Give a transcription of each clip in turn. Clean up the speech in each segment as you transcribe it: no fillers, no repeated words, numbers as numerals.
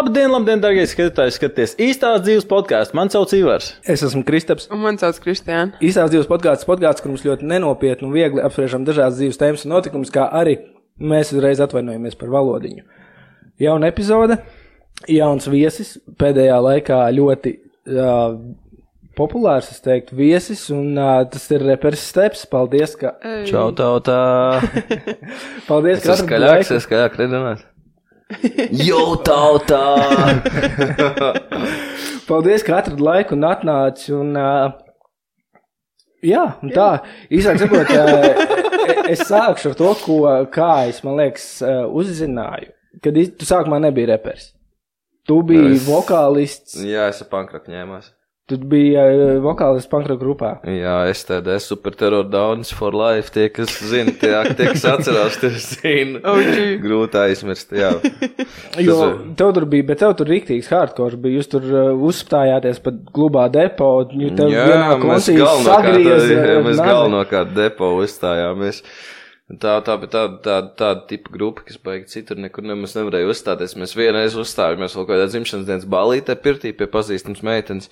Labdien, dargie skatītāji, skaties īstās dzīves podkāstu. Man sauc Ivars. Es esmu Kristaps. Un man sauc Kristiāna. Īstās dzīves podkāsts, kur mums ļoti nenopietni un viegli apspriežam dažādas dzīves tēmas un notikumus, kā arī mēs uzreiz atvainojamies par valodiņu. Jauna epizode, jauns viesis, pēdējā laikā ļoti populārs, es teiktu, viesis, un tas ir reperis Steps. Paldies, ka... Čau, tautā! Paldies, ka atradāt laiku. Skaļāk redzināt. Jo, tautā! Paldies, ka atrad laiku un atnāci, un jā, un tā, īsāk sakot, es sākšu ar to, kā es, man liekas, uzzināju, kad tu sākumā nebija reperis. Tu biji vokālists. Jā, es ar pankroku ņēmās. Tu biji vokālists pankroku grupā. Jā, STD, Super Terror Downs for Life, tie, kas zina, tie, kas atcerās, tie zina. Grūti aizmirst, jā. Jo tev tur bija, bet tev tur riktīgs hardcore bija, jūs tur uzstājāties pat klubā Depo, jo tev vienā koncīs sagrieza. Mēs galvenokārt Depo uzstājāmies. Tāda tipa grupa, kas baigi citur nekur nemaz nevarēja uzstāties. Mēs vienreiz uzstājāmies vēl kādā dzimšanas dienas balītē pirtī pie pazīstams meitenes.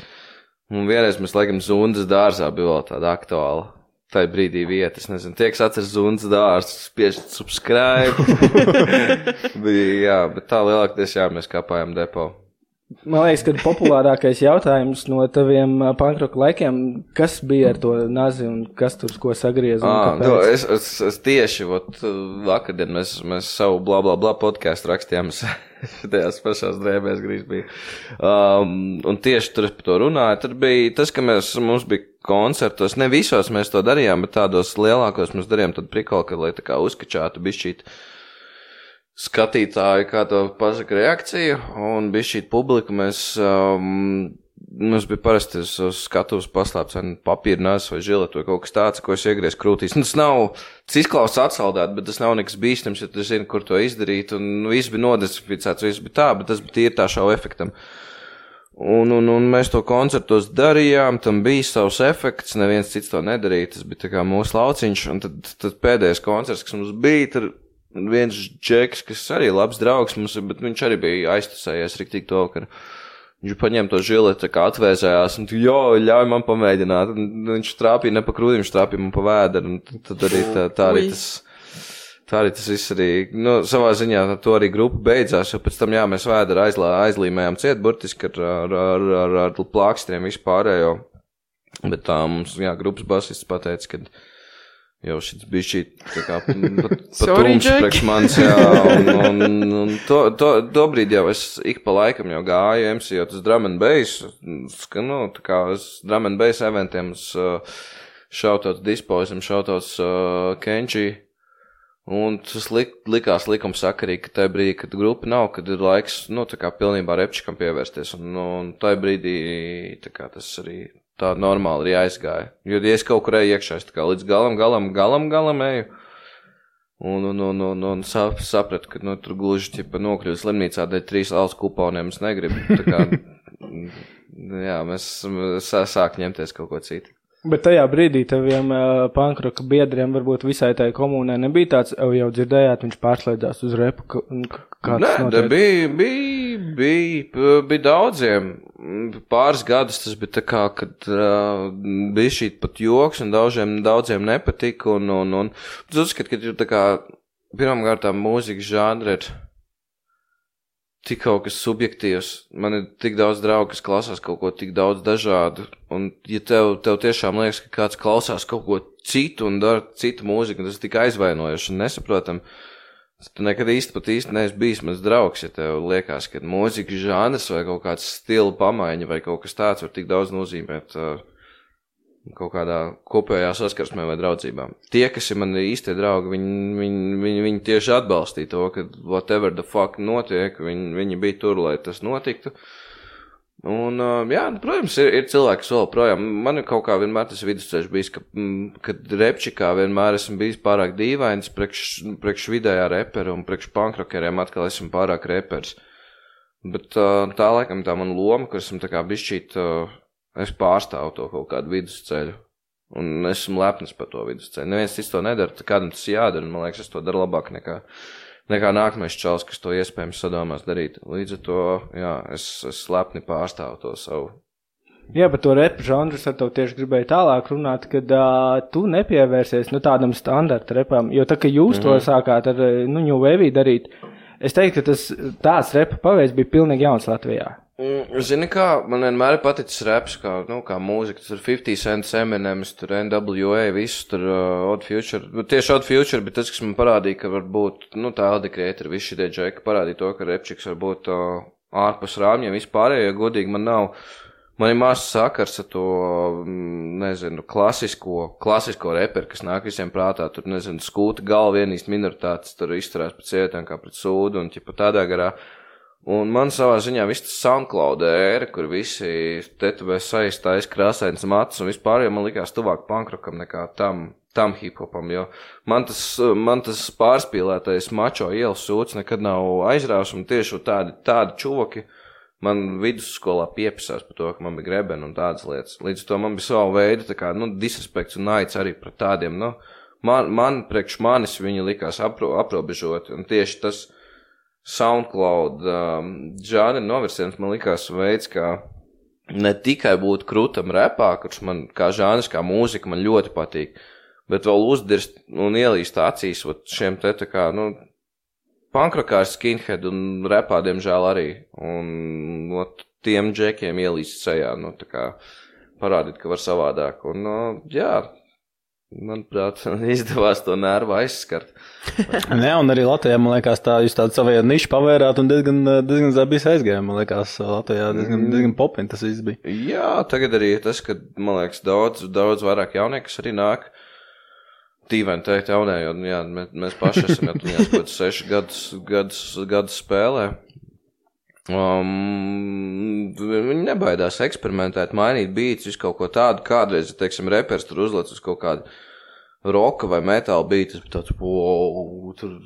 Un vienreiz mēs, laikam, Zundas dārzā bija vēl tāda aktuāla. Tā brīdī vieta, es nezinu, tie, kas atceras Zundas dārzu, spiežat subscribe. Bija, jā, bet tā lielākties, jā, mēs kāpājām Depo. Man liekas, ka populārākais jautājums no taviem pankroku laikiem, kas bija ar to nazi un kas tur ko sagrieza un kāpēc? Es tieši, vakardien mēs savu bla bla bla podcastu rakstījām, tajās pašās drēbēs grīz bija. Un tieši tur es par to runāju, tur bija tas, ka mums bija koncertos, ne visos mēs to darījām, bet tādos lielākos mēs darījām tad prikolu, ka lai tā kā uzkačātu bišķīt skatītāji, kā to pasaka reakciju, un bija šī publika, mums bija parasti uz skatuves paslēpts papīra nāzes vai žiletu vai kaut kas tāds, ko es iegriez krūtīs. Tas nav, tas izklausās atsaldēt, bet tas nav nekas bīstams, ja tu zini, kur to izdarīt, un viss bija nodesinficēts, viss bija tā, bet tas bija tīri tā šau efektam. Un mēs to koncertos darījām, tam bija savs efekts, neviens cits to nedarīja, tas bija tā kā mūsu lauciņš, un tad pēdējais koncerts, kas mums bija, tur viens džeks, kas arī labs draugs mums, bet viņš arī bija aiztusējies riktīgi to, ka viņš paņēma to žiletu, kā atvēzējās, un ļauj man pamēģināt. Un viņš trāpīja ne pa krūtīm, viņš trāpīja man pa vēderu, un tad arī tā arī tas viss arī, savā ziņā to arī grupa beidzās, jo pēc tam, jā, mēs vēderu aizlīmējām ciet, burtiski ar plākstriem vispārējo, bet tā mums, jā, grupas basists pateica, ka jau šis bija šī tā kā patums priekš manis, jā, un to brīdi jau es ik pa laikam jau gāju MC-ot uz drum and bass, tā kā uz drum and bass eventiem, šautauts Dispoisam, šautauts Kenji, un tas likās likumsakarīgi, ka tajā brīdī, kad grupa nav, kad ir laiks, tā kā pilnībā repčikam pievērsties, un tajā brīdī, tā kā tas arī tā normāli arī aizgāja. Jo, ja es kaut kur eju iekšā, es tā kā līdz galam eju, un sapratu, ka, tur gluži, nokļūt slimnīcā dēļ 3 alus kuponiem, es negribu. Tā kā, jā, mēs sāk ņemties kaut ko citu. Bet tajā brīdī taviem pankroka biedriem varbūt visai tai komunai nebija tāds, jau dzirdējāt, viņš pārslēdzās uz repu, Nē, bija daudziem. Pāris gadus tas bija tā kā, kad bija šī pat joks un daudziem nepatika un es uzskatu, ka ir tā kā pirmkārtām mūzikas žanri ir tik kaut kas subjektīvs. Man ir tik daudz draugu, kas klausās kaut ko tik daudz dažādu, un ja tev tiešām liekas, ka kāds klausās kaut ko citu un dara citu mūziku, un tas ir tik aizvainojoši un nesaprotam, tu nekad īsti neesi bijis mans draugs, ja tev liekas, ka mūzikas žanrs vai kaut kāds stila pamaiņa vai kaut kas tāds var tik daudz nozīmēt kaut kādā kopējā saskarsmē vai draudzībā. Tie, kas ir mani īstie draugi, viņi tieši atbalstīja to, ka whatever the fuck notiek, viņi bija tur, lai tas notiktu. Un, jā, protams, ir cilvēki, kas vēl projām. Man ir kaut kā vienmēr tas vidusceļš bijis, kad repčikā vienmēr esmu bijis pārāk dīvains priekš vidējā repera un priekš pankrokeriem atkal esmu pārāk repers. Bet tā laikam tā man loma, kur esmu tā kā bišķīt, es pārstāvu to kaut kādu vidusceļu. Un esmu lepnis par to vidusceļu. Neviens cits to nedara, kādam tas jādara, un man liekas, es to daru labāk nekā nekā nākamais čals, kas to iespējams sadomās darīt. Līdz ar to, jā, es slepni pārstāvu to savu. Jā, par to repu žanru es ar tev tieši gribēju tālāk runāt, kad tu nepievērsies tādam standarta repam, jo tā, ka jūs to sākāt ar New Wave darīt, es teiktu, ka tāds repa paveids bija pilnīgi jauns Latvijā. Zini kā, man vienmēr paticis reps, kā mūzika, tur 50 Cent, Eminems, tur NWA, visus tur Odd Future, tieši Odd Future, bet tas, kas man parādīja, ka varbūt, tā Eldi Creator, visi šitie džeki parādīja to, ka repčiks varbūt ārpus rāmjiem vispārējo, jo godīgi man ir maz sakars ar to, nezinu, klasisko reperu, kas nāk visiem prātā, tur, nezinu, skūta galva vienīst minoritātes, tur izturās pret sievietēm kā pret sūdu un ķipa tādā garā. Un man savā ziņā viss tas SoundCloud ēra, kur visi tetuvē saistājas krāsains matus un vispār, jo man likās tuvāk pankrokam nekā tam hiphopam, jo man tas pārspīlētais mačo ielas sūds nekad nav aizrāvis un tieši tādi čuvaki, man vidusskolā piepisās par to, ka man bija grebeni un tādas lietas. Līdz to man bija savu veidu, tā kā, disrespekts un naids arī pret tādiem, priekš manis viņi likās aprobežoti, un tieši tas SoundCloud žāneri novirsiens man likās veids, kā ne tikai būt krūtam repā, kurš man kā žāners, kā mūzika man ļoti patīk, bet vēl uzdirst un ielīst acīs šiem te tā kā, pankrokāri skinhead un repā, diemžēl arī. Un tiem džekiem ielīst sejā, tā kā parādīt, ka var savādāk. Un, jā, manuprāt, izdevās to nervu aizskart. Jā, un arī Latvijā, man liekas, jūs tādu savajā nišu pavērāt un diezgan zabīs aizgājām. Man liekas, Latvijā diezgan popin tas viss bija. Jā, tagad arī tas, ka, man liekas, daudz vairāk jaunieku, kas arī nāk. Tīveni teikt jaunē, jo jā, mēs paši esam jau 6 gadus spēlē. Viņi nebaidās eksperimentēt, mainīt beats, visu kaut ko tādu. Kādreiz, teiksim, repers tur uzlec uz kaut kādu roka vai metāla beats, tāds, tur...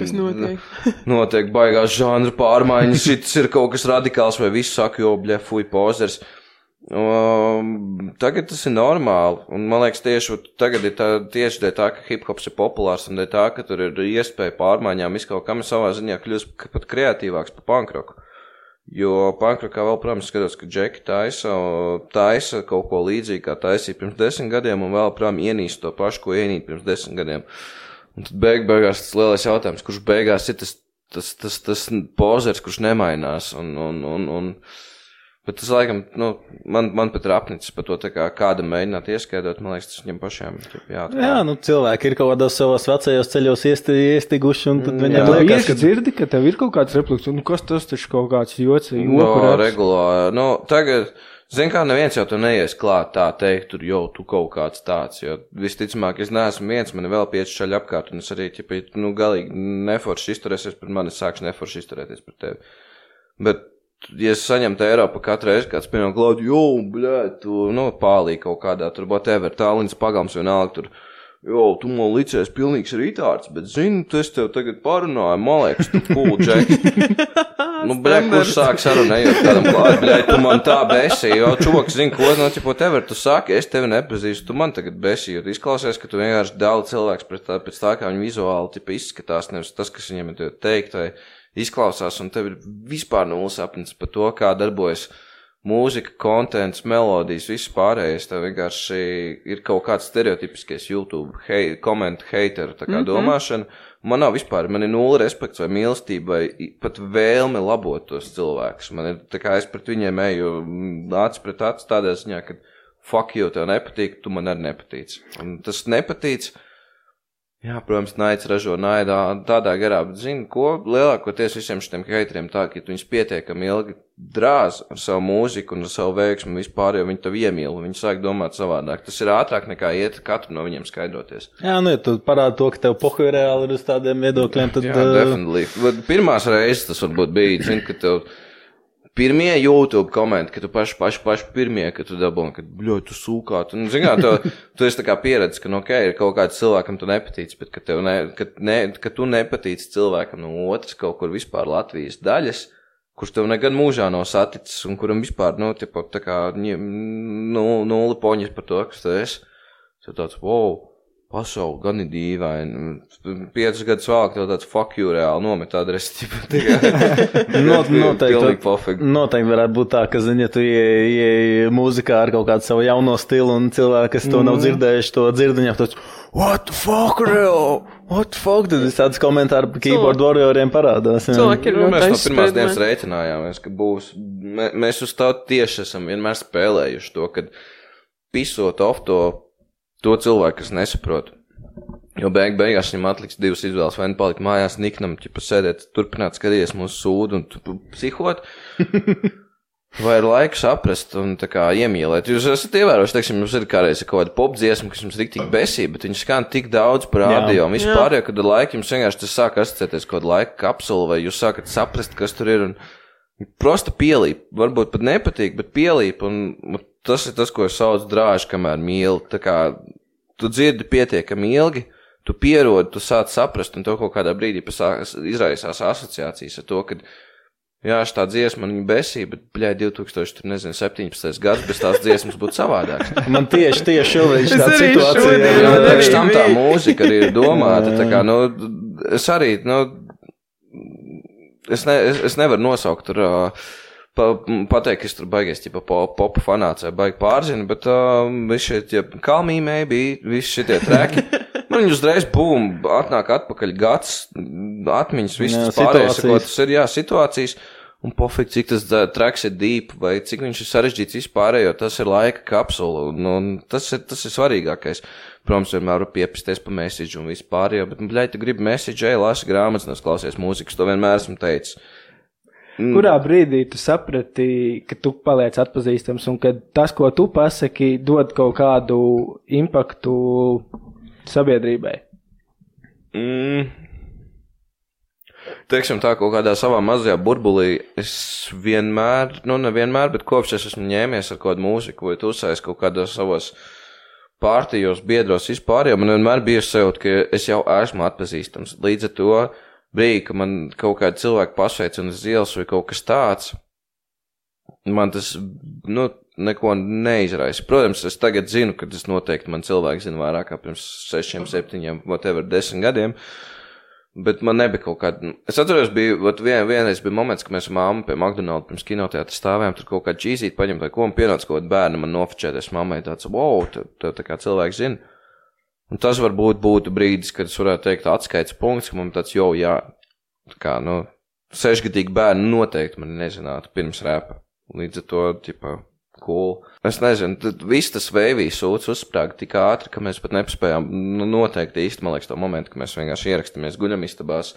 Kas notiek? Notiek baigās žanra pārmaiņas, šis ir kaut kas radikāls, vai viss saka, jo, bļa, pozers. Tagad tas ir normāli, un man liekas tieši tagad ir tieši dēļ tā, ka hip-hops ir populārs, un dēļ tā, ka tur ir iespēja pārmaiņām, kaut kam ir savā ziņā kļūst pat kreatīvāks par pankroku. Jo pankrokā vēl, protams, skatos, ka džeki taisa kaut ko līdzīgi, kā taisīja pirms 10 gadiem, un vēl, protams, ienīst to pašu, ko ienīt pirms 10 gadiem. Un tad beigās tas lielais jautājums, kurš beigās ir tas pozers, kurš nemainās, un bet tas, laikam, man pat ir apnicis par to, tā kā kādam mēģināt ieskaidrot, man liekas, tas viņam pašiem jāatklāt. Jā, cilvēki ir kaut kādos savos vecajos ceļos iestiguši, un tad viņam liekas, ka dzirdi, ka tev ir kaut kāds refleks, un kas tas taču kaut kāds joks, regulāri. Tagad, zin kā, neviens jau tu neies klāt tā teikt, tur jau tu kaut kāds tāds, jo visticamāk, es neesmu viens, man ir vēl 5 šaļi apkārt, un es arī, galīgi neforši izturēsies pret mani, es sākšu neforši izturēties pret tevi. Bet ja es saņemtu eiro pa katru reizi, kāds piemēram klaudu, tu, pālī kaut kādā, tur whatever, tālins pagalms vienalga, tur, tu man licies pilnīgs rītārds, bet zini, es tev tagad parunāju, man liekas, tu cool, Jack. Kurš sāk sarunējot kādam klaudu, tu man tā besī, jo čuvaks zini, ko, whatever, tu saki, es tevi nepazīstu, tu man tagad besī, jo tu izklausies, ka tu vienkārši daudz cilvēks pēc tā, kā viņi vizuāli, izskatās, nevis tas, kas viņiem ir teikt, vai izklausās, un tev ir vispār nulles apnis par to, kā darbojas mūzika, kontents, melodijas, viss pārējais. Tev vienkārši ir kaut kāds stereotipiskais YouTube komentu heiteru tā kā domāšana. Man nav vispār, man ir nulle respekts vai mīlestība vai pat vēlme labot tos cilvēkus. Man ir tā kā es pret viņiem eju acis pret acis tādā ziņā, ka fuck you, tev nepatīk, tu man arī nepatīc. Un tas nepatīc. Jā, protams, naids ražo naidā tādā garā, bet zini, ko lielākoties visiem šitiem heiteriem tā, ka viņus pietiekami ilgi drāz ar savu mūziku un ar savu veiksmu vispār, jo viņi tev iemīl, viņi sāk domāt savādāk. Tas ir ātrāk nekā iet katru no viņiem skaidroties. Jā, ja tu parādi to, ka tev pohuj reāli ir uz tādiem viedokļiem, tad... Jā, definitely. Pirmās reizes tas varbūt bija, zini, ka tev... Pirmie YouTube komenti, ka tu paši pirmie, ka tu dabūni, ka, bļoj, tu sūkāt. Un, zin kā, tu esi tā kā pieredzi, ka, ir kaut kāds cilvēkam tu nepatīc, bet ka tu nepatīc cilvēkam no otras kaut kur vispār Latvijas daļas, kurš tev nekad mūžā nav saticis un kuram vispār, tā kā, nulli poņas par to, kas tu esi. Tu tāds, wow. pasauli gan ir dīvaini. 5 gadus vēlāk tev tāds fuck you reāli nomet adresi. Noteikti varētu būt tā, ka, zini, ja tu ieej mūzikā ar kaut kādu savu jauno stilu un cilvēki, kas to nav dzirdējuši, to dzird, viņam tāds, what the fuck, real? What the fuck? Tad tāds komentāri par keyboard warrioriem parādās. Cilvēki ir mēs no pirmās dienas rēķinājāmies, ka būs. Mēs uz tā tieši esam vienmēr spēlējuši to, kad pisot off to cilvēku, kas nesaprot. Jo beigās viņam atliks 2 izvēles, vai palikt mājās niknam, ķipa sēdēt, turpināt skatīties mūsu sūdu un psihot, vai ir laika saprast un tā kā iemīlēt. Jūs esat ievēroši, teiksim, jums ir kādreiz kaut kāda popdziesma, kas jums riktīgi besība, bet viņš skan tik daudz par audio, un vispār, jo, kad ar laiku jums vienkārši tas sāk asociēties kaut kādu laika kapsulu, vai jūs sākat saprast, kas tur ir, un prosta pielīp, varbūt pat nepatīk, bet pielīp, un tas ir tas, ko es saucu drāži, kamēr mīli. Tā kā tu dzirdi pietiekami ilgi, tu pierodi, tu sāc saprast, un tev kaut kādā brīdī izraisās asociācijas ar to, ka, jā, šitā dziesma man viņa besīja, bet, bļai, 2017. gads, bez tās dziesmas būtu savādāks. Man tieši šobrīd šitā situācija. Jā, priekš tam tā mūzika arī ir domāta, tā kā, es arī, es nevaru nosaukt tur, pateikt, ka es tur baigies, ķipa, popu fanāts vai baigi pārzina, bet visi šie, Call Me Maybe, visi šitie treki, man viņi uzreiz, atnāk atpakaļ gads, atmiņas, viss tas pārējais, ko tas ir, situācijas, un pofīgi, cik tas treks ir deep, vai cik viņš ir sarežģīts vispārējo, tas ir laika kapsula, un tas ir svarīgākais. Protams, vienmēr var piepisties pa message un vispārējo, bet, bļai, tu gribi message, lasi grāmatas, klausies mūzikas, to vienmēr esmu teicis. Kurā brīdī tu saprati, ka tu paliec atpazīstams un ka tas, ko tu pasaki, dod kaut kādu impaktu sabiedrībai? Teiksim tā, kaut kādā savā mazajā burbulī es vienmēr, nevienmēr, bet kopš es esmu ņēmies ar kaut kādu mūziku vai tusējis kaut kādos savos pārtījos, biedros vispār, jo man vienmēr bija sajūta, ka es jau esmu atpazīstams. Līdz ar to brīdī, ka man kaut kādi cilvēki pasveic un uz ielas vai kaut kas tāds, man tas, neko neizraisa. Protams, es tagad zinu, ka tas noteikti man cilvēki zina vairāk kā pirms 6, 7, whatever, 10 gadiem, bet man nebija kaut kāda, es atceros, vienreiz bija moments, ka mēs ar mammu pie McDonald's pirms kinoteātra stāvējām, tur kaut kādu čīzīt paņemt vai ko, un pienāca kaut kādu bērnu man nofočēties mammai tāds, wow, tev tā kā cilvēki zina. Un tas varbūt būtu brīdis, kad es varētu teikt atskaits punkts, ka man tāds, jā, tā kā, 6-gadīgi bērni noteikti man nezinātu pirms rēpa. Līdz ar to, cool. Es nezinu, viss tas vēvīs sūds uzsprāga tik ātri, ka mēs pat nepaspējām noteikti īsti, man liekas, to momentu, ka mēs vienkārši ierakstāmies guļamistabās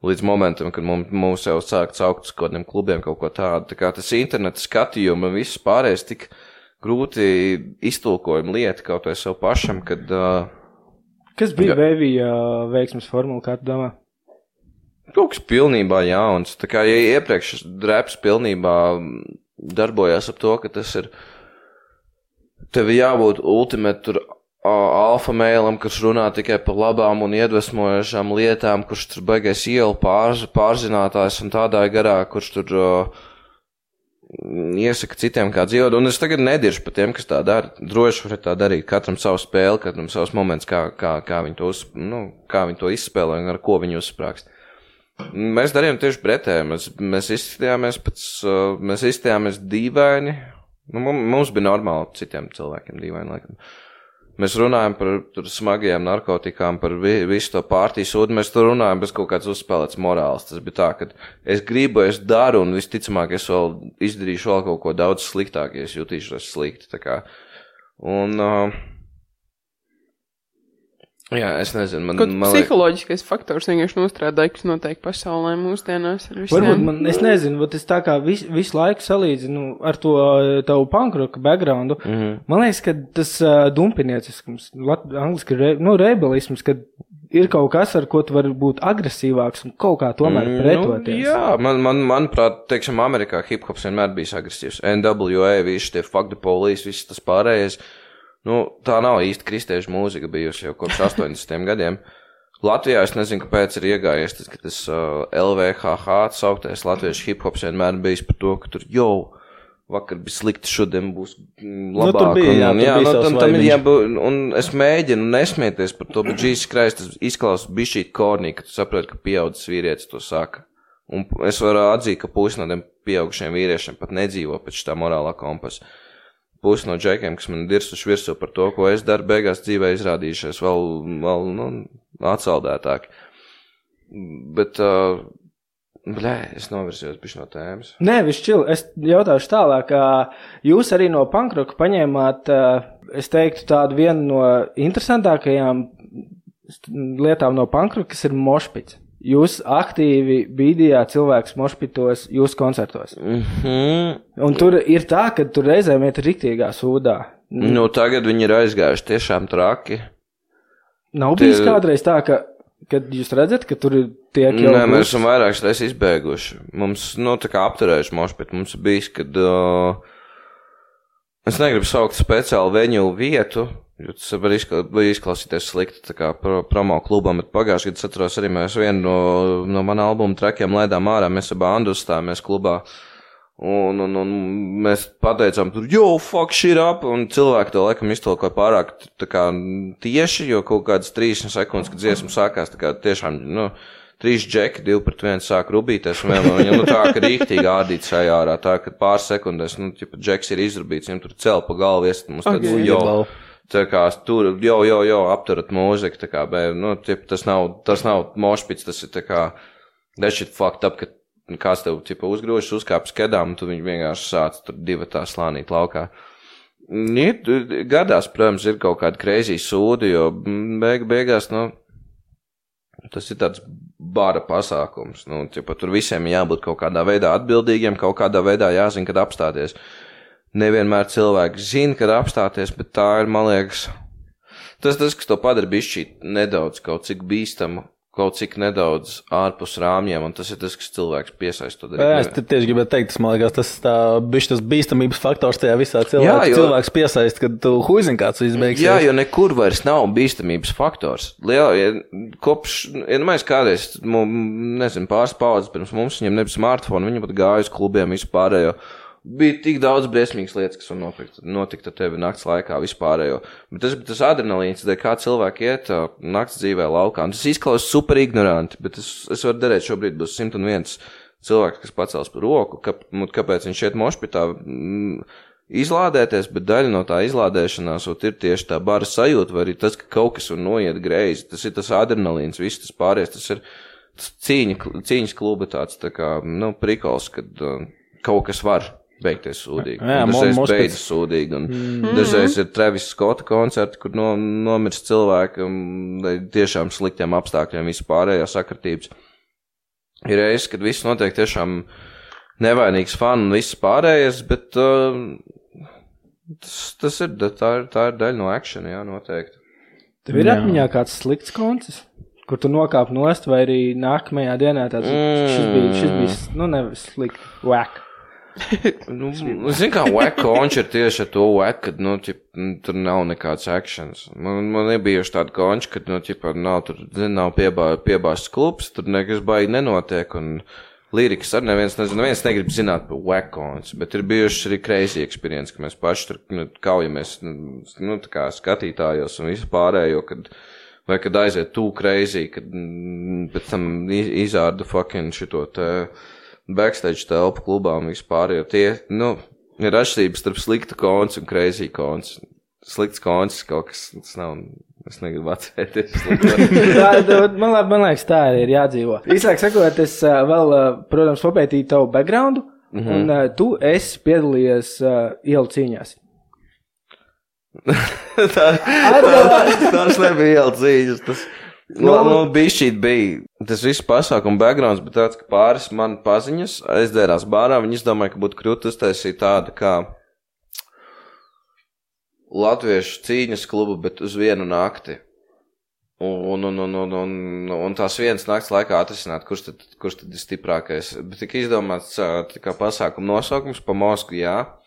līdz momentam, kad mums jau sāk caukt uz kādiem klubiem kaut ko tādu. Tā kā tas interneta skatījumi un viss pārējais tik grūti iztulkojumi lieta kaut vai sev pašam, kad... Kas bija Vēvija veiksmes formula, kā tu domā? Kaut kas pilnībā jauns. Tā kā, ja iepriekš reps pilnībā darbojās ap to, ka tas ir tev jābūt ultimate tur alfa mēlam, kurš runā tikai par labām un iedvesmojošām lietām, kurš tur baigais ielu pārzinātājs un tādā garā, kurš tur iesaka citiem kā dzīvot, un es tagad nediršu par tiem, kas tā dara. Droši var tā darīt, katram savu spēli, katram savs moments, kā viņi to izspēlē un ar ko viņi uzsprākst. Mēs darījām tieši pretēji, mēs izstījāmies dīvaini, mums bija normāli citiem cilvēkiem dīvaini, laikam. Mēs runājam par smagajām narkotikām, par visu to pārtīs sūdu, mēs tur runājam bez kaut kāds uzspēlēts morāls. Tas bija tā, ka es gribu, es daru, un visticamāk es vēl izdarīšu vēl kaut ko daudz sliktāk, ja es jutīšos slikti. Tā kā. Un, jā, es nezinu, man psiholoģiskais faktors vienkārši nostrādāja, kas notiek pasaulē mūsdienās ar visiem. Varbūt es nezinu, bet es tā kā visu laiku salīdzinu ar to tavu punkroka backgroundu. Man liekas, ka tas dumpiniecisms, angliski rebelisms, kad ir kaut kas, ar ko tu vari būt agresīvāks un kaut kā tomēr pretoties. Jā, manuprāt, teiksim, Amerikā hip-hops vienmēr bijis agresīvs. NWA, visi tie fuck the police, viss tas pārējais. Tā nav īsti kristiešu mūzika bijusi jau kopš 80. gadiem. Latvijā es nezinu, kāpēc ir iegājies tas, ka tas LVHH sauktais latviešu hip-hops vienmēr bijis par to, ka tur, vakar bija slikti, šodien būs labāk. Tur bija, un es mēģinu nesmieties par to, bet Jesus Christ, tas izklausās bišķīt kornī, ka tu saproti, ka pieaudzis vīrietis to saka. Un es varu atzīt, ka pusi no tiem pieaugušiem vīriešiem pat nedzīvo pēc tā morālā kompasa. Pusi no džekiem, kas man dirsuši virsū par to, ko es daru, beigās dzīvē izrādījušies vēl atsaldētāki. Bet, es novirzījos bišķi no tēmas. Nē, viss čil, es jautāšu tālāk, jūs arī no punkroka paņēmāt, es teiktu, tādu vienu no interesantākajām lietām no punkroka, kas ir mošpits. Jūs aktīvi bīdījāt cilvēkus mošpitos jūsu koncertos. Un tur ir tā, ka tur reizēm iet riktīgā sūdā. Nu, tagad viņi ir aizgājuši tiešām traki. Nav bijis kādreiz tā, kad jūs redzat, ka tur ir tiek jau... Nē, mēs esam vairākas reizes izbēguši. Mums, tā kā apturējuši mošpit, mums ir bijis, kad... es negribu saukt speciālu veņu vietu, jo tas var izklausīties slikti tā kā promo klubam, bet pagājuši, kad atceros arī mēs vienu no mana albuma trakiem laidām ārā, mēs ar bandu uzstājāmies klubā, un mēs pateicām tur, yo, fuck shit up, un cilvēki to laikam iztolkoja pārāk tā kā tieši, jo kaut kādas 30 sekundes, kad dziesma sākās, tā kā tiešām, 3 džeki, 2 pret 1 sāk rubīties, un viņam, tā, ka rīktīgi ārdīt šajā ārā, tā, ka pāris sekundēs, džeks ir izrubīts, viņam tur cel pa galvu, iest mums tāds, tā kā tur, apturat mūziku, tā kā, tas nav mošpits, tas ir tā kā, that shit fucked up, ka kāds tev, uzgrūžas, uzkāpjas kedām, un tu viņi vienkārši sāc tur divatā slānīt laukā. Gadās, protams, ir kaut kādi crazy sūdi, jo beigās, tas ir tāds bara pasākums, tur visiem jābūt kaut kādā veidā atbildīgiem, kaut kādā veidā jāzina, kad apstāties. Nevienmēr cilvēki zina, kad apstāties, bet tā ir, man liekas, tas, kas to padara bišķīt nedaudz kaut cik bīstamu, kaut cik nedaudz ārpus rāmjiem, un tas ir tas, kas cilvēks piesaist to darīt. Jā, es tieši gribētu teikt, tas, man liekas, tas bīstamības faktors tajā visā cilvēks piesaist, kad tu huizini kāds izbeigsies. Jā, jo nekur vairs nav bīstamības faktors. Mēs kādreiz, pāris paudzes pirms mums, viņam nebija smartphone, viņi pat gāja uz klubiem vispārējo. Bija tik daudz briesmīgas lietas, kas var notikt ar tevi nakts laikā vispārējo. Bet tas adrenalīns, kā cilvēki iet nakts dzīvē laukā. Un tas izklausās super ignoranti, bet es varu darīt šobrīd būs 101 cilvēks, kas pacels par roku, kāpēc viņš iet mošpitā izlādēties, bet daļa no tā izlādēšanās ir tieši tā bara sajūta, vai arī tas, ka kaut kas var noiet greizi. Tas ir tas adrenalīns, viss tas pāries, tas ir cīņas kluba tāds, tā kā, prikols, kad kaut kas var beigties sūdīgi. Dažreiz beidzas sūdīgi. Dažreiz ir Travis Scotta koncerti, kur nomirst cilvēki tiešām sliktiem apstākļiem vispārējā sakritības. Ir reizes, kad viss notiek tiešām nevainīgs fani un viss pārējais, bet tā ir daļa no action, jā, noteikti. Tev ir atmiņā kāds slikts koncerts, kur tu nokāp nost, vai arī nākamajā dienā tāds, šis bija nevis slikti, whack. Zin kā whack konči ir tieši ar to whack, kad, tur nav nekāds actions. Man ir bijuši tādi konči, kad, nav piebāsts klubs, tur nekas baigi nenotiek, un lirikas arī neviens negrib zināt par whack konci, bet ir bijuši arī crazy experience, ka mēs paši tur kaujamies, tā kā skatītājos un visu pārējo, vai kad aiziet too crazy, kad pēc tam izārda fucking šito te backstage telpu klubā un vispār, jo tie, ir atšķirības starp sliktu konci un crazy konci. Slikts koncis kaut kas, tas nav, es negribu atcerēties. Man liekas, tā arī ir jādzīvo. Īsāk sakot, es vēl, protams, papētīju tavu backgroundu, un tu esi piedalījies ielu cīņās. Tas nebija ielu cīņas, tas... Bišķīt bija tas viss pasākuma backgrounds, bet tāds, ka pāris man paziņas aizdzērās bārā, viņi izdomāja, ka būtu krūti uztaisīt tādu kā latviešu cīņas klubu, bet uz vienu nakti. Un tās vienas nakts laikā atrisināt, kurš tad ir stiprākais. Bet tika izdomāts kā pasākuma nosaukums pa Moskvu, jā.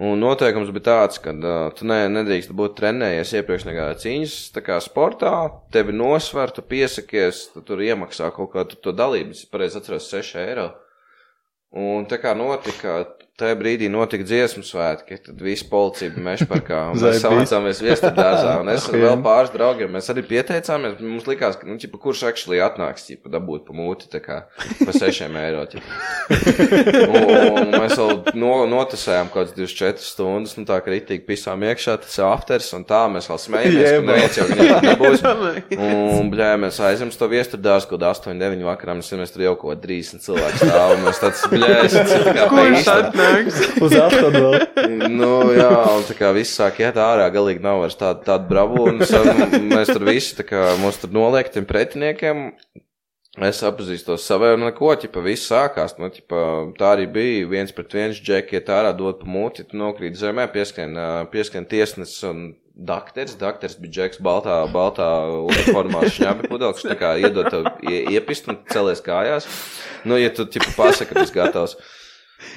Un noteikums bija tāds, ka tu nedrīkst būt trenējies iepriekš nekādā cīņas, tā kā sportā, tevi nosver, tu piesakies, tu tur iemaksā kaut kā to dalību, es pareizi atceros 6 eiro. Un tā kā notika, tajā brīdī notika dziesmu svētki, tad visi policija bija Mešparkā, un mēs savācāmies Viesturdārzā, un es ar vēl pāris draugiem, mēs arī pieteicāmies, bet mums likās, ka, kurš actually atnāks, dabūt pa mūti, tā kā, pa 6 eiro, un mēs vēl notasējām kāds 24 stundas, tā kā ritīgi pisām iekšā, tas afters, un tā, mēs vēl smējamies, ka neviens jau viņam nebūs, un, bļā, mēs aizjām to Viesturdārzu, kaut 8-9 vakarā, mēs tur jau kaut 30 cilvēku stāv, un mēs tāds, bļā, kurš atnāks? Uz aftadu vēl. Jā, un tā kā viss sāk iet ārā, galīgi nav vairs tāda bravūra, un mēs tur visi, tā kā mūs tur noliek tiem pretiniekiem, es apzīstos savai, un neko, viss sākās, tā arī bija, 1-1 džeki iet ārā, dod pa mūti, tu nokrīt zemē, pieskrien tiesnes un dakteris bija džeks baltā uniformā šņabi pudelks, tā kā iedod tev iepist un celies kājās, ja tu, pasaka, ka tas gatavs.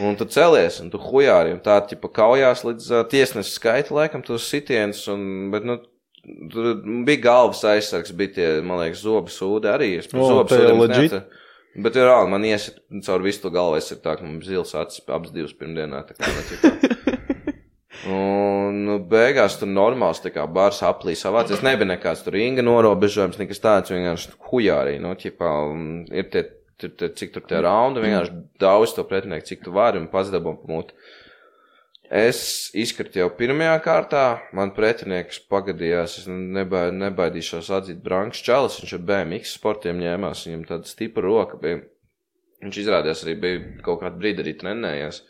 Un tu celies, un tu hujāri, un tā, kaujās līdz tiesnesu skaita, laikam, tos sitienus, bet, tur bija galvas aizsargs, bija tie, man liekas, zobu sūdi arī, es par zobu sūdiem neatceru. Bet, reāli, man iesit caur visu to galvu aizsarg tā, ka man zils acis abas 2 pirmdienā, tā kā necikā. Un, beigās tur normāls, tā kā, bars aplī savācies, nebija nekāds tur Inga norobežojums, nekas tāds, vienkārši hujāri, ir tie, cik tur tie raundi, vienkārši daudz to pretinieku, cik tu vari un pats dabam pamūt. Es izkratu jau pirmajā kārtā, man pretinieks pagadījās, es nebaidīšos atzīt Branks Čalis, viņš ar BMX sportiem ņēmās, viņam tāda stipra roka bija. Viņš izrādījās arī bija kaut kādu brīdi arī trenējies.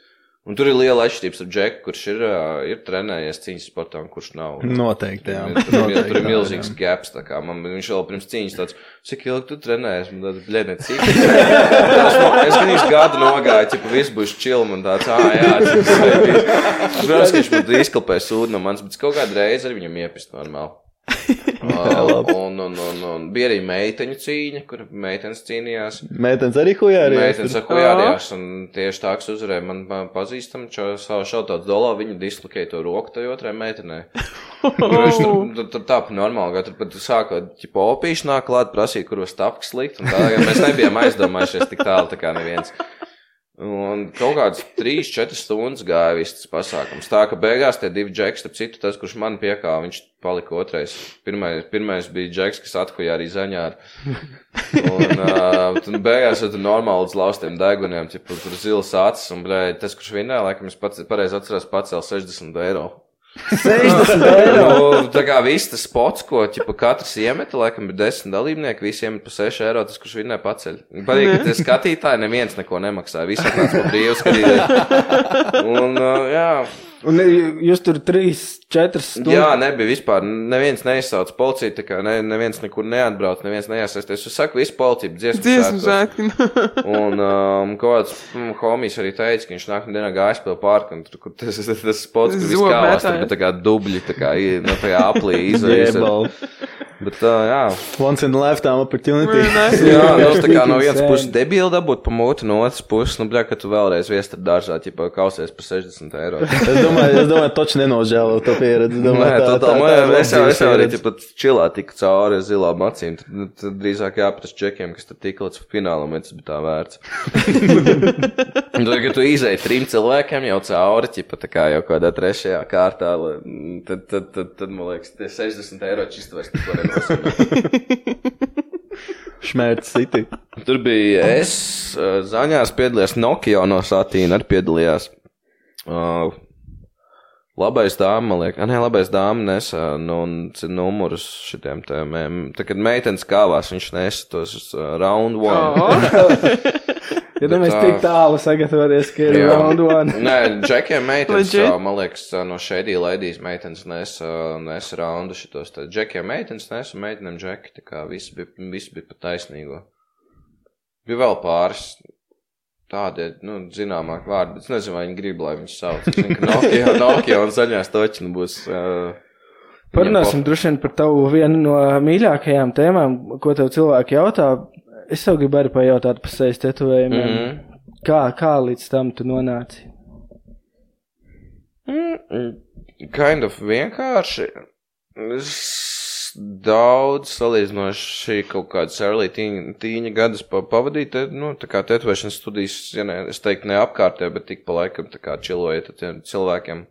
Un tur ir liela atšķirības ar Džeku, kurš ir trenējies cīņas sportā un kurš nav. Noteikti, jā. Tur ir milzīgs gaps, tā kā viņš vēl pirms cīņas tāds, cik ilgi tu trenējies, man tāds, bļēdēt, cik. Es gan īsti gadu nogāju, viss būs chill, man tāds, jā, cik sveikīs. Protams, ka viņš man izklapēja sūdu no manis, bet kaut kādu reizi arī viņam iepist normāli. Un bija arī meiteņu cīņa, kur meitenes cīnījās. Meitenes arī hujārījās? Meitenes ar hujārījās, un tieši tā, kas uzvarēja man pazīstam, savu šautauts dolā, viņu dislokēja to roku tai otrai meitenei. Tur tā pa normāli, tur pat sākot, opīši nāk klāt, prasīja, kur was tapks likt, un tā, mēs nebijām aizdomājušies tik tālu, tā kā neviens. Un kaut kāds 3-4 stundas gāja viss tas pasākums. Tā, ka beigās tie 2 džeki, starp citu, tas, kurš man piekāva, viņš palika otrais. Pirmais bija džeks, kas athuja arī zaņāri. Un beigās jau tur normāli līdz laustiem deguniem, tur zilas acis, un tas, kurš vinnēja, laikam, es pareizi atceros, pacēl 60 eiro. 60 eiro? Tā kā viss tas spots, ko katrs iemeta, laikam bija 10 dalībnieki, visi iemet pa 6 eiro, tas, kurš vinnē paceļ. Patīk, ka tie skatītāji neviens neko nemaksāja, visi atnāc pa brīvu skatītāji. Un, jā. Un jūs tur 3-4 stundas? Jā, nebija vispār, neviens neizsauc policiju, tā kā neviens nekur neatbrauc, neviens neiesaisties. Es saku, visu policiju dziesmu svētki. Un kaut kāds homijs arī teica, ka viņš nākamā dienā gājis pie parka, un tur tas spots, kur viss kālās, tur tā kā dubļi, tā kā aplī izveies. Bet, jā. Once in a lifetime opportunity. Jā, tā kā no vienas puses debīli dabūt pa mūti, no otras puses, ka tu vēlreiz Viesturdārzā, kausies par 60 eiro. Es domāju, toči nenožēlo to pieredzi. Es jau arī čilā tiku cauri zilām acīm, tad drīzāk jāprast čekiem, kas tad tika līdz finālam, bet tas bija tā vērts. Un tad, kad tu izēji 3 cilvēkiem jau cauri, tā kā jau kādā 3. kārtā, tad man liekas, tie 60 eiro čistu vairs neko Šmērts City. Tur bija es, Zaņās piedalījās, Nokia no Satīna arī piedalījās. Labais dāma, man liekas, labais dāma nesa numurus šitiem tēmēm. Tā, kad meitenes kāvās, viņš nesa tos round one. Ja mēs tik tālu sagatavoties, ka ir round one. Nē, džekiem meitenes, man liekas, no Shady Ladies meitenes nesa raundu šitos. Džekiem meitenes nesa, meitenēm džeki, tā kā viss bija pa taisnīgo. Bija vēl pāris tādi, zināmāk vārdi, bet es nezinu, vai viņi grib, lai viņus sauc. Es zinu, ka Nokia un Zaļās toķina būs... Parunāsim droši vien par tavu vienu no mīļākajām tēmām, ko tev cilvēki jautā. Es tev gribu arī pajautāt par sejas tetovējumiem. Kā līdz tam tu nonāci? Kind of vienkārši. Es daudz salīdzinoši kaut kādas early tīņa gadus pavadīt, tā kā tetovēšanas studijas, ja ne, es teiktu ne apkārtē, bet tik pa laikam tā kā čilojiet ar tiem cilvēkiem.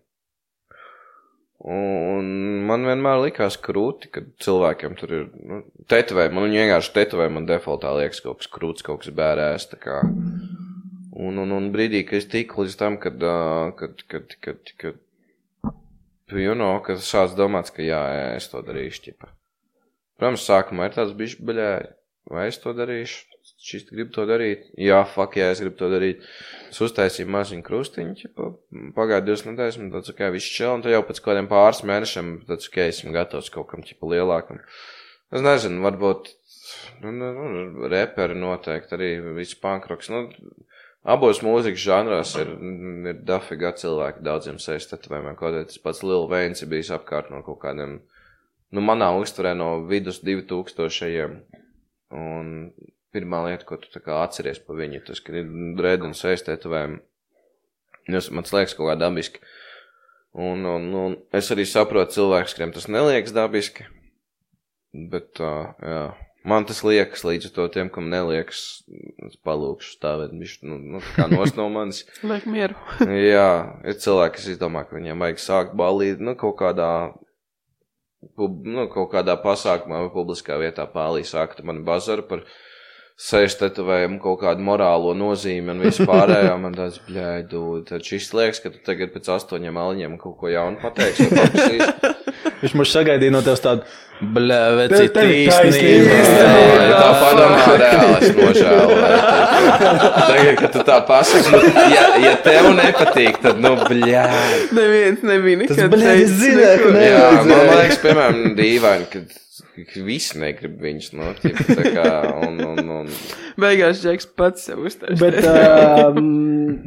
Un man vienmēr likās krūti, kad cilvēkiem tur ir, tetovē, man vienkārši tetovē, man defaultā liekas kaut kas krūts, kaut kas bērēs, tā kā. Un brīdī, kad es tiku līdz tam, kad kad sāc domāts, ka jā, es to darīšu, ķipa. Protams, sākumā ir tāds bišķi baļēji, vai es to darīšu, šis gribu to darīt, jā, fuck, jā, es gribu to darīt. Es uztaisīju maziņu krustiņu, ķipa, pagāju 2 nedēļas, un tāds, ok, viss čel, un tad jau pēc kādiem pāris mēnešiem, tāds, ok, esmu gatavs kaut kam, ķipa, lielākam. Es nezinu, varbūt, reperi noteikti, arī viss punkroks, abos mūzikas žanrās ir dafigā cilvēki daudziem sejas tetovējumiem, kaut arī tas pats Lil Wayne ir bijis apkārt no kaut kādiem, manā uztverē no vidus 2000-ajiem, un pirmā lieta, ko tu tā kā atceries pa viņu, tas, ka ir dread un sejas tetovējumi, man liekas kaut kā dabiski, un es arī saprotu cilvēkus, kuriem tas neliekas dabiski, bet, jā. Man tas liekas līdz to tiem, kam neliekas, es palūkšu stāvēt, kā nost no manis. Liek mieru. Jā, ir cilvēki, kas izdomā, ka viņiem vajag sākt balīt, kaut kādā pasākumā vai publiskā vietā pālī sākt mani bazaru par sejas tetovējumu kaut kādu morālo nozīmi un visu pārējo. Man tāds, bļēdu, tad šis liekas, ka tu tagad pēc 8 aliņiem kaut ko jaunu pateiksi vai paprasīs. Viņš mums sagaidīja no tevs tādu, veci, tīsnība. Tā padomā reāli, es nožēloju. Tagad, kad tu tā pasaki, ja tev nepatīk, tad, bļēd. Neviens nebija nekad. Tas, bļēd, es zināju, ka jā, man liekas, piemēram, dīvaini, kad visi negrib viņus, tā kā, un. Beigās Džeks pats sev uzstājas. Bet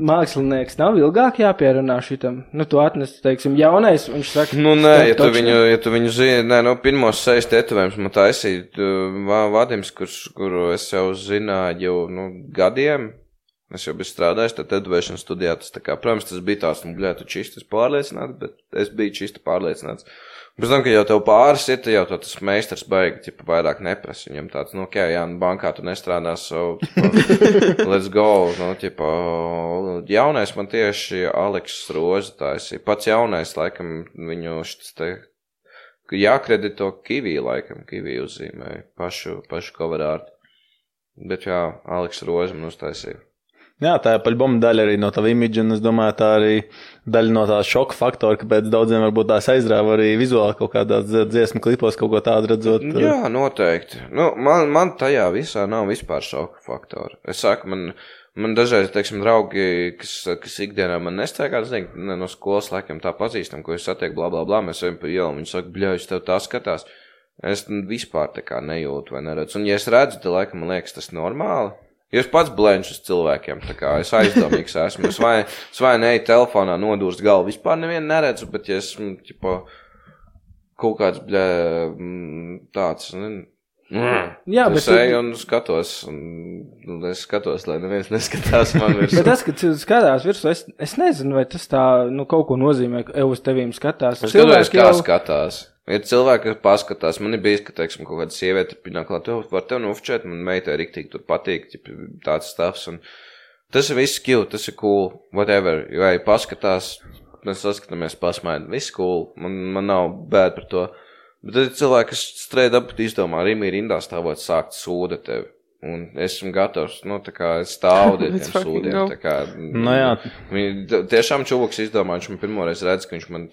mākslinieks nav ilgāk jāpierunā šitam. Tu atnesi, teiksim, jaunais, viņš saka. Nē, ja tu viņu zini, pirmos sejas tetovējumus man taisīja Vadims, kuru es jau zināju gadiem. Es jau biju strādājis, tad tetovēšanas studijā tas tā kā, protams, tas bija tās, tu čistas pārliecināts, bet es biju čista pārliecināts. Pēc tam, ka jau tev pāris ir, jau tas meistars baigi, vairāk neprasa. Viņam tāds, ok, jā, bankā tu nestrādās, so, let's go. Jaunais man tieši Aleks Roza taisīja. Pats jaunais, laikam, viņu šis te, jākredito Kivī, laikam, Kivī uzzīmēja pašu cover art. Bet jā, Aleks Roza man uztaisīja. Jā, tā ir paļboma daļa arī no tava imidža, un es domāju, tā arī daļa no tā šoka faktora, kāpēc daudziem varbūt tās aizrāva arī vizuāli kaut kādās dziesmu klipos kaut ko tādu redzot. Jā, noteikti. Man tajā visā nav vispār šoka faktora. Es saku, man dažreiz, teiksim, draugi, kas ikdienā man nestaigā, es nezinu, no skolas laikam tā pazīstam, ko es satieku, blā, mēs ejam pa ielu, viņi saka, bļauj, tev tā skatās. Es vispār tā kā nejūtu vai neredzu. Un ja es redzu, tad laikam man liekas tas normāli. Ja es pats blenču uz cilvēkiem, tā kā es aizdomīgs esmu, es vai neeju telefonā nodūrst galvu, vispār nevienu neredzu, bet ja esmu, kaut kāds, tāds, Jā, es eju un skatos, es skatos, lai neviens neskatās man virsū. Bet tas, kad cilvēks skatās virsū, es nezinu, vai tas tā, kaut ko nozīmē, ka uz tevīm skatās. Es skatos, kā skatās. Ir cilvēki, kas paskatās, man ir bijis, ka, teiksim, kaut kāda sieviete pienāk klāt, var tev nofčēt, man meitai riktīgi tur patīk, tāds stāvs, un tas ir viss cute, tas ir cool, whatever, vai paskatās, mēs saskatāmies pasmaidi, viss cool, man nav bēd par to, bet tad ir cilvēki, kas strēd ap izdomā, Rimi rindā stāvot sākt sūda tevi. Un esmu gatavs, tā kā es stāvu tiem sūdiem, tā kā, jā. Viņi tiešām čuvuks izdomā, viņš man pirmoreiz redz, ka viņš man,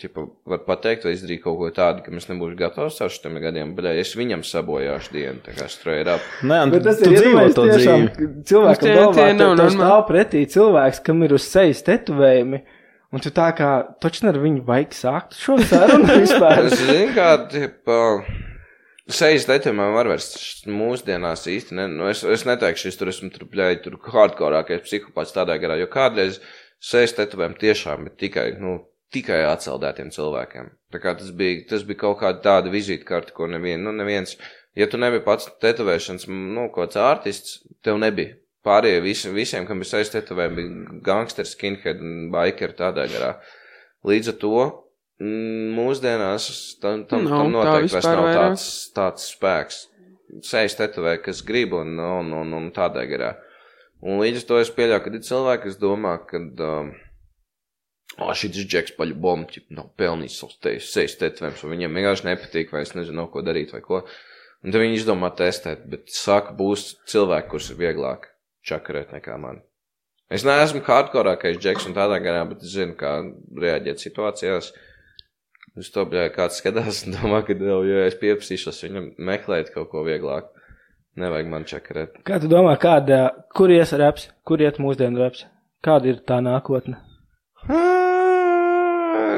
var pateikt, vai izdarīt kaut ko tādu, ka mēs nebūšu gatavs ar šitiem gadiem, bet es viņam sabojāšu dienu, tā kā straight up. Bet tas ir iedomājies tiešām, cilvēkam galvā, tev stāv pretī cilvēks, kam ir uz sejas tetovējumi, un tu tā kā, taču ar viņu vajag sākt šo sarunu vispār. Es zinu, kā, sejas tetovējumiem var vairs mūsdienās īsti, es neteikšu, es esmu tur hardkorākais psihopāts tādā garā, jo kādreiz sejas tetovējumi tiešām ir tikai atceldētiem cilvēkiem. Tā kā tas bija kaut kāda tāda vizītkarte, ko neviens, ja tu nebija pats tetovēšanas, kāds ārtists, tev nebija. Pārējie visiem, kam bija sejas tetovējumi, bija gangsteri, skinhead un bikeri tādā garā. Līdz ar to Mūsdienās tam Nav, tā noteikti vairs vispār nav vairāk. tāds spēks. Sejas tetovē, kas grib un tādā garā. Un līdz to es pieļauju, kad ir cilvēki, kas domā, ka šis džeks paļu nav pelnījis savus sejas tetovējumus, un viņiem vienkārši nepatīk, vai es nezinu, nav ko darīt vai ko. Un tad viņi izdomā testēt, bet saka, būs cilvēki, kurš ir vieglāk čakarēt nekā mani. Es neesmu hardkorākais džeks un tādā garā, bet es zinu, kā reaģēt situācijās. Uz to, kāds skatās un domā, ka, ja es pieprasīšos viņam meklēt kaut ko vieglāk, nevajag man čakarēt. Kā tu domā, kur ies reps, kur iet mūsdienu reps? Kāda ir tā nākotne?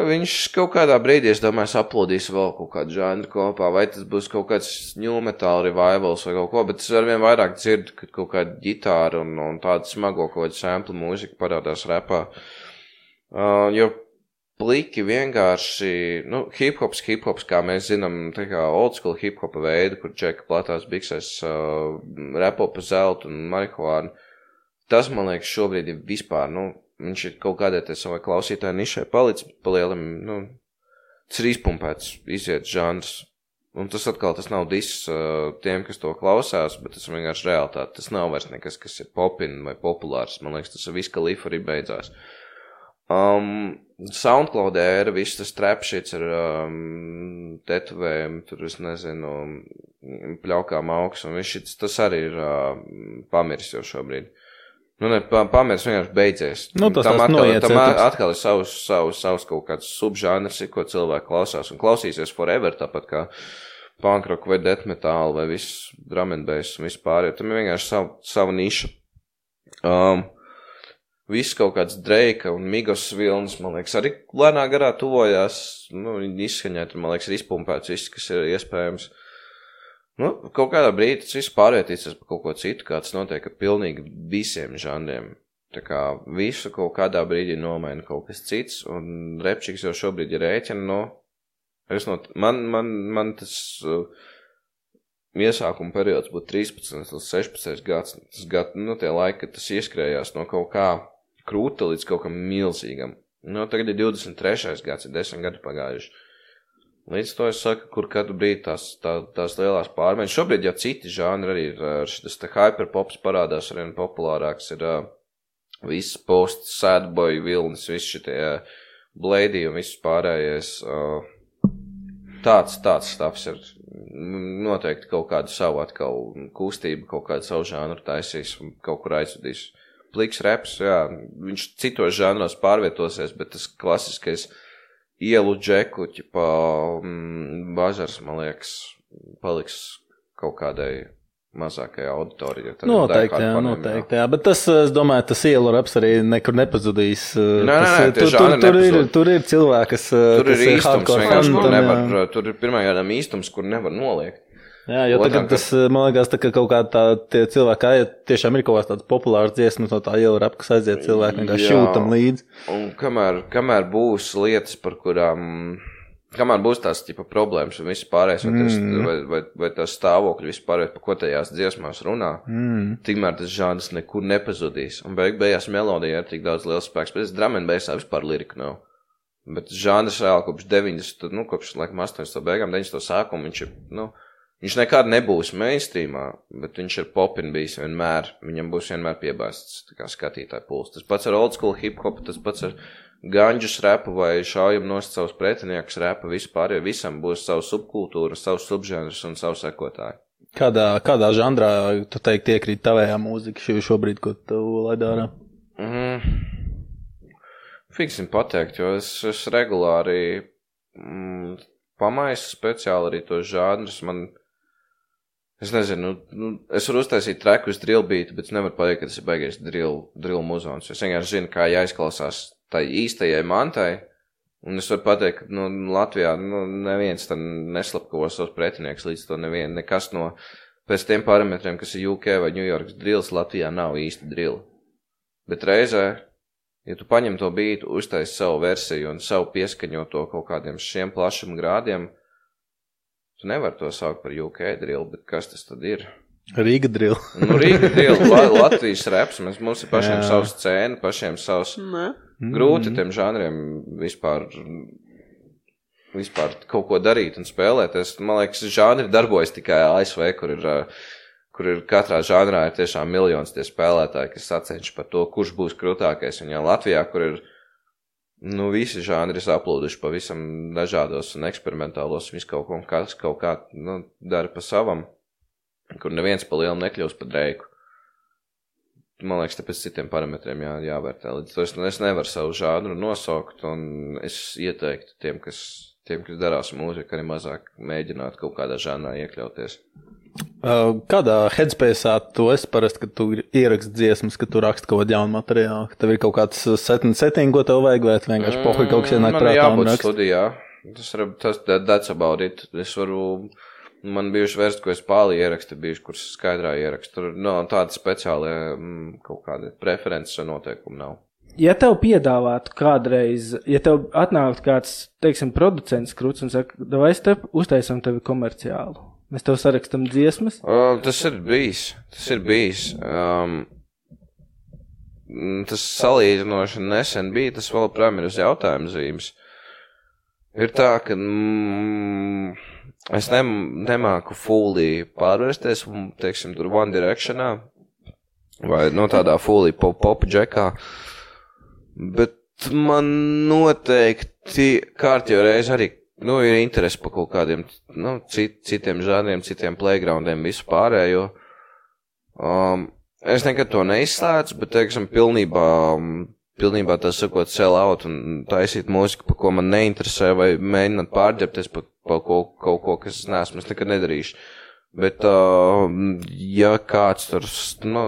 Viņš kaut kādā brīdī, es domāju, aplodīs vēl kaut kādu žanru kopā, vai tas būs kaut kāds new metal revivals vai kaut ko, bet es arvien vairāk dzirdu, kad kaut kāda ģitāra un tāda smago kaut kāda sample mūzika parādās repā. Jo pliki vienkārši, hip-hops, kā mēs zinām, tā kā old school hip-hopa veidu, kur džeka platās biksēs repo pa zeltu un marihuānu. Tas, man liekas, šobrīd ir vispār, viņš ir kaut kādai savai klausītāji nišai palicis, pa lielam, tas ir izpumpēts, iziet žanrs. Un tas atkal, tas nav diss tiem, kas to klausās, bet tas vienkārši realitāte. Tas nav vairs nekas, kas ir popin vai populārs. Man liekas, tas viss, ka Lifa arī beidzās. Soundcloud ēra, viss tas trap shits ar tetovējumu, tur es nezinu, pļaukām augs, un viss šits, tas arī ir pamiris jau šobrīd. Pamirs vienkārši beidzies. Tam atkal ir savs kaut kāds subžāners, ko cilvēki klausās un klausīsies forever, tāpat kā punk rock vai death metal vai viss drum and bass un viss pārējo. Tam ir vienkārši sava niša. Viss kaut kāds Drake un Migos vilnis, man liekas, arī lēnā garā tuvojās, izskaņēt, man liekas, ir izpumpēts viss, kas ir iespējams. Kaut kādā brīdī tas viss pārvietīsies par kaut ko citu, kā tas notiek ar pilnīgi visiem žanriem. Tā kā visu kaut kādā brīdī nomaina kaut kas cits, un repčiks jau šobrīd ir rēķina, man tas iesākuma periods būtu 13 līdz 16 gads, tie laiki, kad tas ieskrējās no kaut kā krūta līdz kaut kam milzīgam. Tagad ir 23. gads, ir 10 gadu pagājuši. Līdz to es saku, kur katru brīdi tās lielās pārmaiņas. Šobrīd jau citi žanri arī ir, šis hyperpops parādās arvien populārāks, ir viss post, sadboy, vilnis, viss šitie blēdī un viss pārējais. Tāds stāvs ir noteikti kaut kādu savu atkal kustību, kaut kādu savu žanru taisīs un kaut kur aizvedīs. Pliks reps, jā, viņš citos žanros pārvietosies, bet tas klasiskais ielu džeku, bažars, man liekas, paliks kaut kādai mazākajai auditorijai. Noteikti, jā, bet tas, es domāju, tas ielu raps arī nekur nepazudīs. Tur ir cilvēki, kas tur ir īstums, vienkārši, tur ir pirmajādām īstums, kur nevar noliekt. Jā, jo tagad tas, man liekas, tā kā kaut kā tie cilvēki aiet, tiešām ir kaut kāds tāds populārs dziesmas no tā ielu rap, kas aiziet cilvēki vienkārši šūtam līdzi. Un kamēr būs lietas, par kurām, kamēr būs tās problēmas un viss pārējais, vai tās stāvokļi viss pārējais, par ko tajās dziesmās runā, tikmēr tas žāns nekur nepazudīs. Un beigās melodija ir tik daudz liels spēks, bet es drum and bassā vispār liriku nav. Bet žāns reāli kopš 90, kopš laikam 80 beigām, 90 sākumu, viņš nekad nebūs mainstreamā, bet viņš ir popin bijis vienmēr, viņam būs vienmēr piebāsts kā skatītāju puls. Tas pats ar old school hip-hop, tas pats ar ganģus repu vai šaujam nost savus pretiniekus repu, vispār, jo visam būs savu subkultūru, savus subžanrus un savu sekotāju. Kādā žanrā, tu teikti, iekrīt tavējā mūzika šobrīd, ko tu laid ārā? Fiksim pateikt, jo es regulāri pamaisu speciāli arī tos žanrus, es nezinu, es varu uztaisīt treku uz drill beatu, bet es nevaru pateikt, ka tas ir baigais drill muzons. Es vienkārši zinu, kā jāizklausās tai īstajai mantai, un es varu pateikt, ka Latvijā neviens tad neslapkavo savus pretinieks līdz to nekas no pēc tiem parametriem, kas ir UK vai New Yorks drills, Latvijā nav īsti drill. Bet reizē, ja tu paņem to beatu, uztaisi savu versiju un savu pieskaņoto kaut kādiem šiem plašuma grādiem, tu nevar to saukt par UK drill, bet kas tas tad ir? Rīga drill. Rīga drill, Latvijas reps, mums ir pašiem savs scēna, pašiem savs grūti tiem žanriem vispār vispār kaut ko darīt un spēlēties. Man liekas, žanri darbojas tikai ASV, kur ir katrā žanrā ir tiešām miljons tie spēlētāji, kas sacenš par to, kurš būs krūtākais. Un ja Latvijā, kur ir, visi žanri saplūduši pavisam dažādos un eksperimentālos, visu kaut kā, dara pa savam, kur neviens pa lielu nekļūst pa Dreiku. Man liekas, tāpēc citiem parametriem jāvērtē. Līdz to es nevaru savu žānru nosaukt, un es ieteiktu tiem, kas darās mūziku, arī mazāk mēģināt kaut kādā žānrā iekļauties. Kādā headspace'ā tu esi parasti, kad tu ieraksti dziesmas, kad tu raksti kaut kādu jaunu materiālu? Ka tev ir kaut kāds setting, ko tev vajag, vai vienkārši pohuj kaut kas ienāk prātā un raksti? Studijā. That's about it. Man bijuši vērst, ko es pāli ierakstu, bijuši, kuras skaidrā ierakstu. Tur tāda speciāli kaut kāda preferences un noteikumi nav. Ja tev piedāvātu kādreiz, ja tev atnāktu kāds, teiksim, producents Kruts un saka, vai es uztaisam tevi komerciālu? Mēs tev sarakstam dziesmas? Tas ir bijis. Tas salīdzinoši nesen bija, tas vēl prām ir uz jautājumu zīmes. Ir tā, ka es nemāku fully pārvērsties, teiksim, tur One Directionā, vai tādā fully pop džekā, bet man noteikti kārtjo reiz arī ir interesi par kaut kādiem citiem žanriem, citiem playgroundiem, visu pārējo. Es nekad to neizslēdzu, bet, teiksim, pilnībā tas sakot sell out un taisīt mūziku, par ko man neinteresē, vai mēģināt pārģerties par kaut ko, kas es neesmu, es nekad nedarīšu. Bet, ja kāds tur,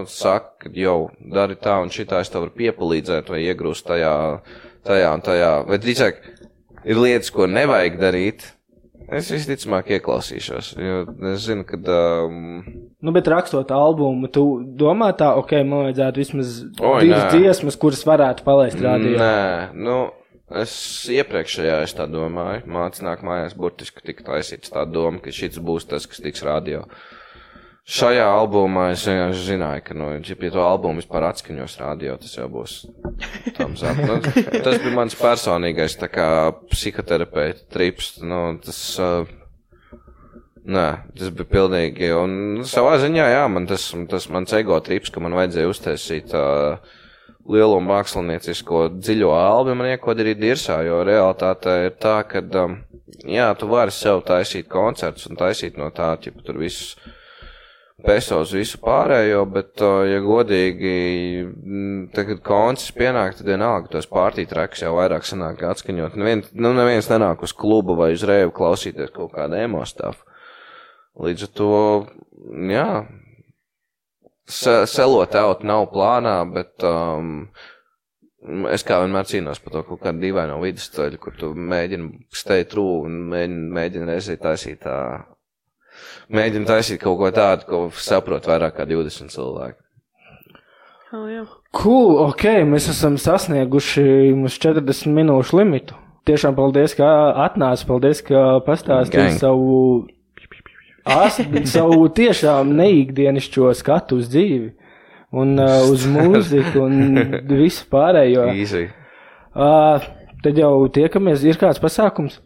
saka, dari tā un šitā, es tev varu piepalīdzēt vai iegrūst tajā un tajā, vai drīzāk, ir lietas, ko nevajag darīt, es visticamāk ieklausīšos, jo es zinu, ka... bet rakstot albumu, tu domā tā, man vajadzētu vismaz divas dziesmas, kuras varētu palaist rādio? Nē, es iepriekšējā es tā domāju, mācis nāk mājās burtiski tika taisīts tā doma, ka šits būs tas, kas tiks rādio. Šajā albumā es vienkārši zināju, ka, ja pie to albumu vispār atskaņos rādio, tas jau būs tam zap. Tas bija mans personīgais, tā kā psihoterapeita trips, tas bija pilnīgi, un savā ziņā, tas mans ego trips, ka man vajadzēja uztaisīt lielo māksliniecisko dziļo albumu, man iekodarīt dirsā, jo realitāte ir tā, ka, tu vari sev taisīt koncertus un taisīt no tā, ja tur visus pesos visu pārējo, bet, ja godīgi, tagad koncerts pienāk, tad vienalga tos partī tracks jau vairāk sanāk atskaņot. Neviens nenāk uz klubu vai uz reivu klausīties kaut kādu emo stuff. Līdz ar to, selot out nav plānā, bet es kā vienmēr cīnos par to kaut kādu dīvaino vidusceļu, kur tu mēģini stay true un mēģini reizē taisīt Mēģinu taisīt kaut ko tādu, ko saprot vairāk kā 20 cilvēki. Cool, mēs esam sasnieguši mums 40 minūšu limitu. Tiešām paldies, ka atnāci, paldies, ka pastāstīji savu tiešām neikdienišķo skatu uz dzīvi un uz mūziku un visu pārējo. Easy. Tad jau tiekamies, ir kāds pasākums?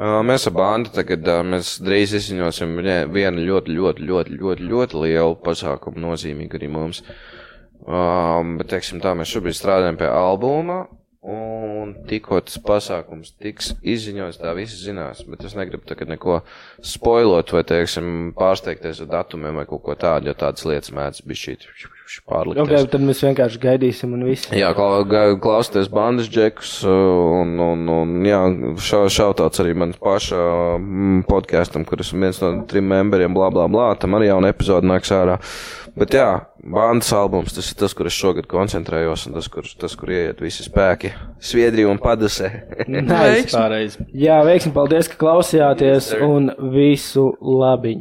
Mēs ar bandu tagad, mēs drīz izziņosim vienu ļoti lielu pasākumu, nozīmīgu arī mums. Bet, teiksim tā, mēs šobrīd strādājam pie albuma, un tikko tas pasākums tiks izziņots, tā visi zinās, bet es negribu tagad neko spoilot vai, teiksim, pārsteigties ar datumiem vai kaut ko tādu, jo tādas lietas mēdz bišķīt pārlikties. Tad mēs vienkārši gaidīsim un viss. Jā, klausieties bandas džekus, un šautauts arī man paša podkastam, kur esmu viens no 3 memberiem, tam arī jauna epizode nāks ārā. Bet bandas albums, tas ir tas, kur es šogad koncentrējos, un tas, kur ieiet visi spēki, Sviedrija un Padusē. Pareizi. Jā, veiksim, paldies, ka klausījāties, un visu labiņu.